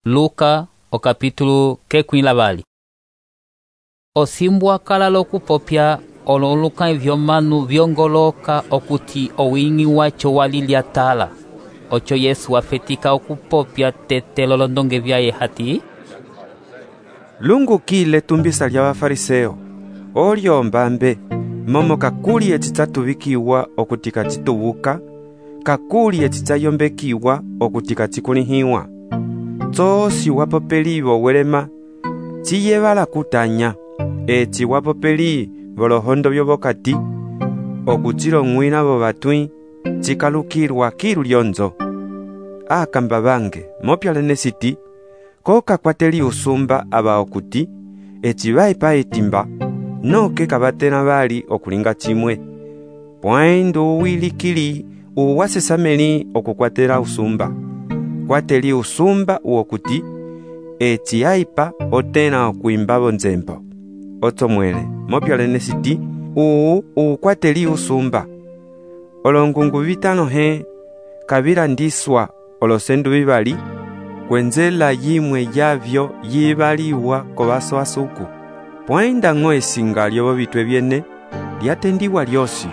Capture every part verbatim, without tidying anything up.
Luka o capítulo kekwila vali. Osimbwa kala lokupopya ololuka vyomanu vyongoloka okuti owingi wacho walilya tala. Ocho Yesu wafetika okupopya tete lolondonge vyaye hati: Lungu kile tumbisa lya Bafariseo, olyo mbambe, momo kakuli ecitatuvikiwa okutika citubuka, kakuli ecitayombekiwa okutika cikulihiwa. Tsosi wapopeli welema, ciyevala kutanya, eci wapopeli volohondo vyovokati, okucilong'wila vovatwi, cikalukilwa kilu lyonzo. Akamba bange, mopyalene siti, koka kwateli usumba aba okuti, eci vaipa etimba, noke kabatena bali okulinga chimwe. Pwaindu uwilikili uwasesameli okukwatela usumba. Kwateli usumba uokuti, eci aipa otena okuimbabo nzembo. Otomwele, mopyalene siti, uu ukwateli usumba. Olongungu vitano he, kabila ndiswa olosendu vivali, kwenzela yimwe yavyo yivaliwa kobaso asuku. Pwainda ng'o esinga lyobo bitwe byene, lyatendiwa lyosi.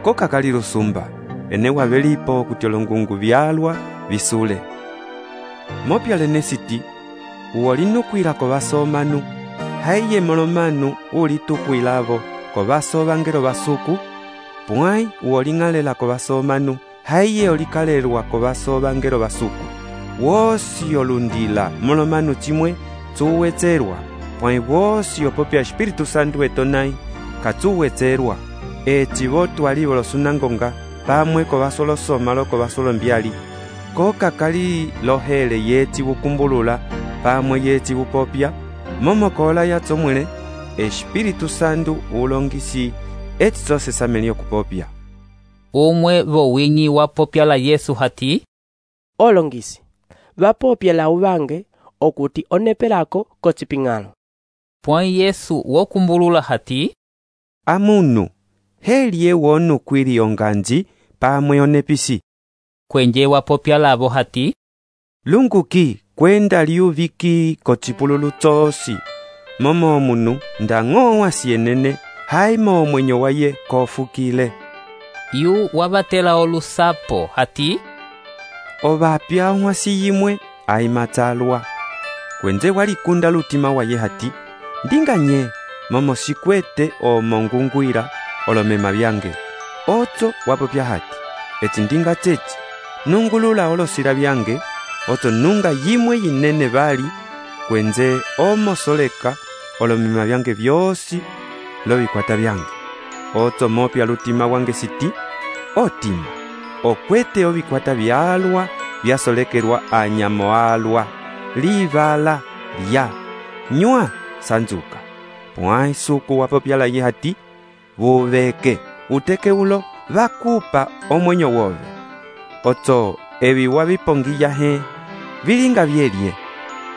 Koka kali lusumba, ene wabelipo kuti olongungu vyalwa visule. Mopyalene siti, uolinukwila kobaso omanu, haiye molomanu ulitukwilavo kobaso bangelo basuku, pwai uoling'alela kobaso omanu, haiye olikalelwa kobaso bangelo basuku. Wosi olundila molomanu chimwe tsuwetserwa, pwai wosi opopya Espiritu Santu etonai katsuwetserwa. Eci botu alibo losunangonga, pamwe kobaso losoma lo kobaso lombyali. Koka kali lohele yeti bukumbulula, pamwe yeti bupopya, momo kola ya tsomwele, Espiritu Santu ulongisi eti tsose sameli okupopya. Umwe vowinyi wapopya la Yesu hati: Olongisi, vapopya la uvange okuti onepelako kociping'alo. Pwai Yesu wokumbulula hati: Amunu, heli ewonu kwili onganji pamwe onepisi. Kwenje wapopya lavo hati: Lunguki kwenda liuviki kocipululu tsosi, momo omunu ndang'o wasienene, haimo omwenyo waye kofukile. Yu wabatela olusapo hati: Ovapya onwasi yimwe aimatsalwa. Kwenze walikunda lutima waye hati: Ndinganye, momo sikwete omongungwira olomema byange. Otso wapopya hati: Eti ndinga chechi, nungulula olosila byange, otso nunga yimwe yinene bali, kwenze omosoleka olomema byange byosi lobikwata byange. Otso mopya lutima wange siti: Otima, okwete obikwata byalwa byasolekelwa anyamo alwa, livala lya nywa sanzuka. Pwai suku wapopya la ye hati: Buveke uteke ulo vakupa omwenyo wove. Otso ebi wabipongiya he, bilinga byelye.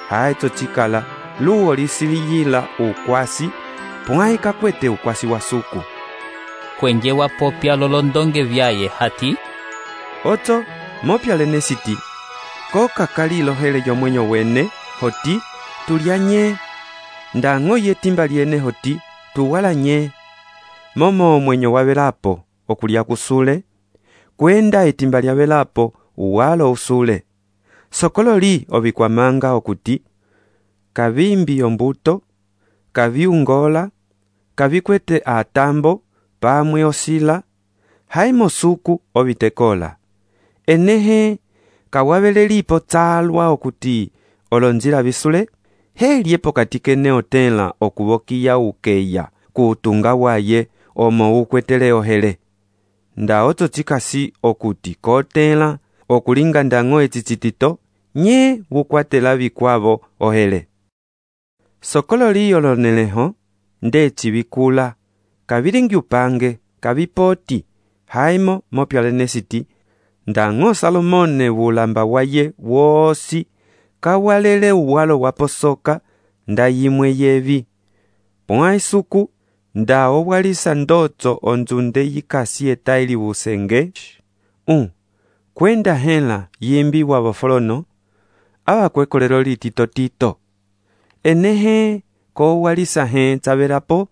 Haetso chikala luo lisiliyila ukwasi, pwai kakwete ukwasi wa suku. Kwenje wapopya lolondonge vyaye hati: Otso mopyalene siti, koka kali lohele yomwenyo wene hoti tulyanye, ndang'o yetimba lyene hoti tuwalanye. Momo omwenyo wabelapo okulya kusule, kwenda etimba lyabelapo uwalo usule. Sokololi obikwamanga okuti, kavimbi ombuto, kaviungola, kavikwete atambo, pamwe osila, haimo suku obitekola. Enehe, kawabelelipo tsalwa okuti olonjila bisule, heliepo katikene otela okubokiya ukeya kuutunga waye omo ukwetele ohele. Nda otso chikasi okuti kotela okulinga ndang'o ecicitito, nye bukwatela bikwavo ohele. Sokololi oloneleho, nde chibikula, kabilingi upange, kabipoti, haimo mopyalene siti, ndang'o Salomone bulamba waye wosi, kawalele uwalo waposoka, nda yimwe yevi. Pwai suku, nda owalisa ndotso onzunde yikasi etaili busenge, un, kwenda hela yimbi wabofolono, abakwekolelo litito tito. Enehe ko walisa he tsavelapo.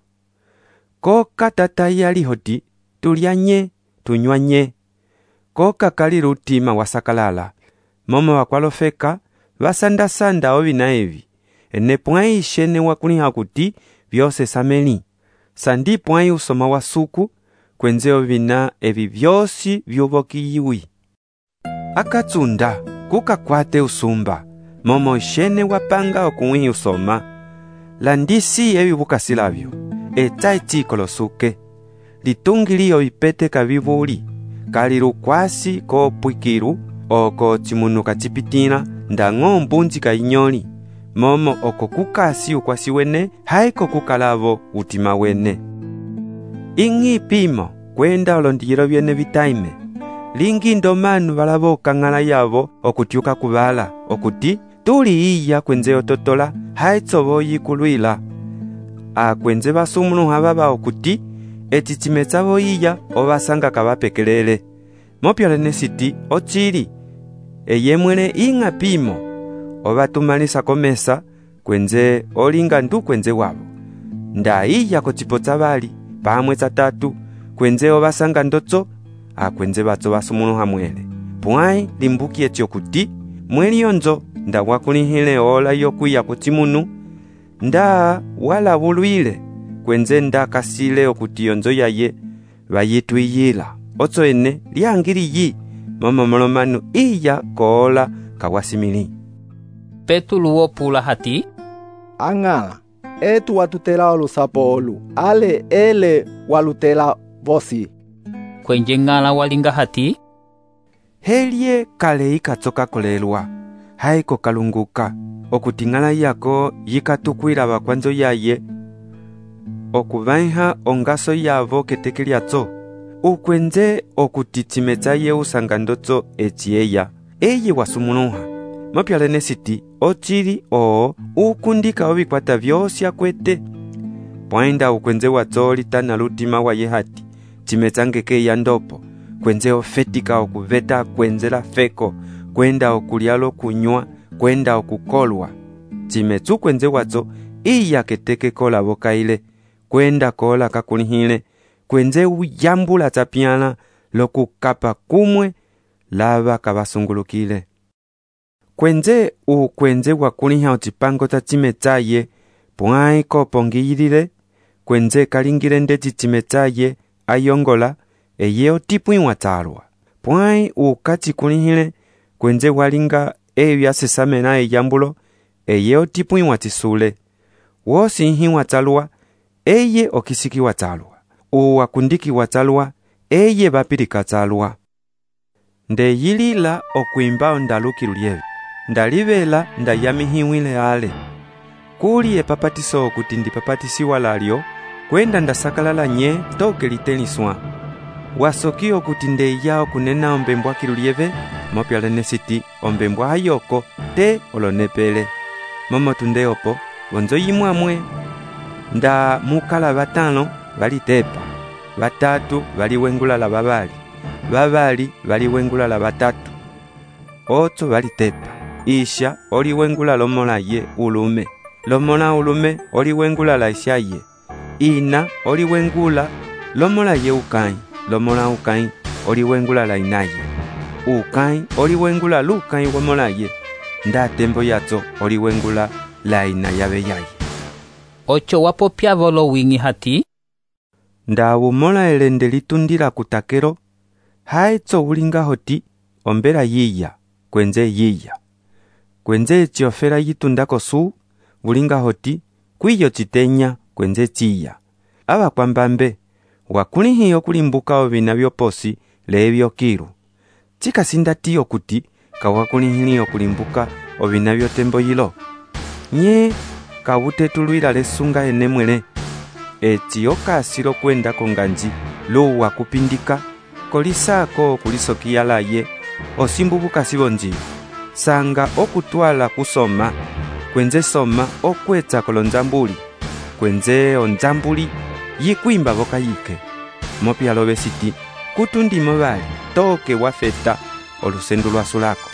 Ko katata yali hoti tulianye tunywanye. Ko kakali rutima wasakalala. Momo wakwalofeka vasanda-sanda ovina evi. Ene pwai shene wakuliha kuti vyose sameli. Sandi pwai usoma wa suku kwenze ovina evi vyosi vyuvokiyiwi. Akatsunda kukakwate usumba. Momo shene wapanga okuwi usoma. Landisi evi bukasilavyo. Eta etiko losuke. Litungiliyo ipete kavivuli. Kali rukwasi ko pwikiru oko chimunu kachipitina ndango mbunzi ka inyoli. Momo oko kukasi ukwasi wene haiko kukalavo utima wene. Ingi pimo kwenda olondiyelo vyene vitaime. Lingi ndomanu valavo kangala yavo okutiuka kuvala okuti tuli iya kwenze ototola haitsovo yikulwila. A kwenze basumunu hababa okuti eti chimetsavo iya ovasanga kavapekelele. Mopyalene siti ochili eyemwele inga pimo ovatumalisa komesa kwenze olinga ndu kwenze wavo. Nda iya kochipo tsavali pamwe tsatatu kwenze ovasanga ndotso a kwenze batso basumunu hamwele. Pwai limbuki etyo kuti mweli yonzo nda wakulihile ola yokuya kuchimunu nda wala vulwile kwenze nda kasile okuti yonzo yaye vayitwiyila. Otso ene liangili yi momo molomanu iya koola kawasimili. Petulu wopula hati angala etu watutela olusapo olu ale ele walutela vosi. Kwenye ngala walinga hati helie kale ikatsoka kolelwa haiko kalunguka okuti ngala yako yikatukwila bakwanzo yaye okuvaiha ongaso yavo ketekeliatso ukwenze okuti chimetsa ye usanga ndotso echieya eye wasumunuha. Mopyalene siti ochili oo ukundika obikwata vyosi akwete. Pwainda ukwenze watso litana lutima waye hati chimetsa ngeke ya ndopo kwenze ofetika okuveta kwenzela feko kwenda okulialo kunywa kwenda okukolwa. Chimetsu kwenze watso iya keteke kola bokaile kwenda kola kakulihile kwenze uyambula tapiana lokukapa kumwe lava kabasungulukile. Kwenze ukwenze wakuliha ochipango ta chimetsaye pwai kopongiyilile kwenze kalingile ndeti chimetsaye ayongola eye otipwi watsalwa. Pwai ukachikulihile kwenze walinga evi asesamena eyambulo eye otipwi watisule. Wosinhi watsalwa eye okisiki watsalwa. Uwakundiki watsalwa eye bapilika tsalwa. Nde yilila okuimba ondaluki lulyevi. Ndalivela ndayamihiwile ale. Kuli epapatiso okuti ndipapatisiwa lalyo kwenda ndasakalala nye toke liteliswa. Wasoki okuti ndeya okunena ombembwa kilulieve mopyalene siti ombembwa hayoko te olonepele. Momo tunde opo gonzo yimwamwe nda mukala batano balitepa. Batatu baliwengula la babali. Babali baliwengula la batatu. Otso balitepa. Isha oliwengula lomola ye ulume. Lomola ulume oliwengula la isha ye. Ina oliwengula lomola ye ukai. Lomola ukai oliwengula la inaye. Ukai oliwengula lukai wamola ye. Nda tembo yatso oliwengula la ina yabe yaye. Ocho wapo pyavolo wingi hati nda wumola elende litundila kutakero haitso ulinga hoti ombela yiya kwenze yiya. Kwenze chiofera yitundako su ulinga hoti kwiyo chitenya kwenze chiya. Aba kwambambe wakulihi okulimbuka ovina byoposi lebyo kiru. Chika sindati okuti kawakulihi okulimbuka ovina byotembo yilo. Nye kawutetulwila lesunga enemwele. Eti okasilo kwenda konganji lo wakupindika kolisako kulisokiala ye osimbubuka sibonji sanga okutwala kusoma kwenze soma okwetsa kolonzambuli kwenze onzambuli yikwimba boka yike mopyalo besiti kutundimo bali toke wafeta olusendu lwasulako.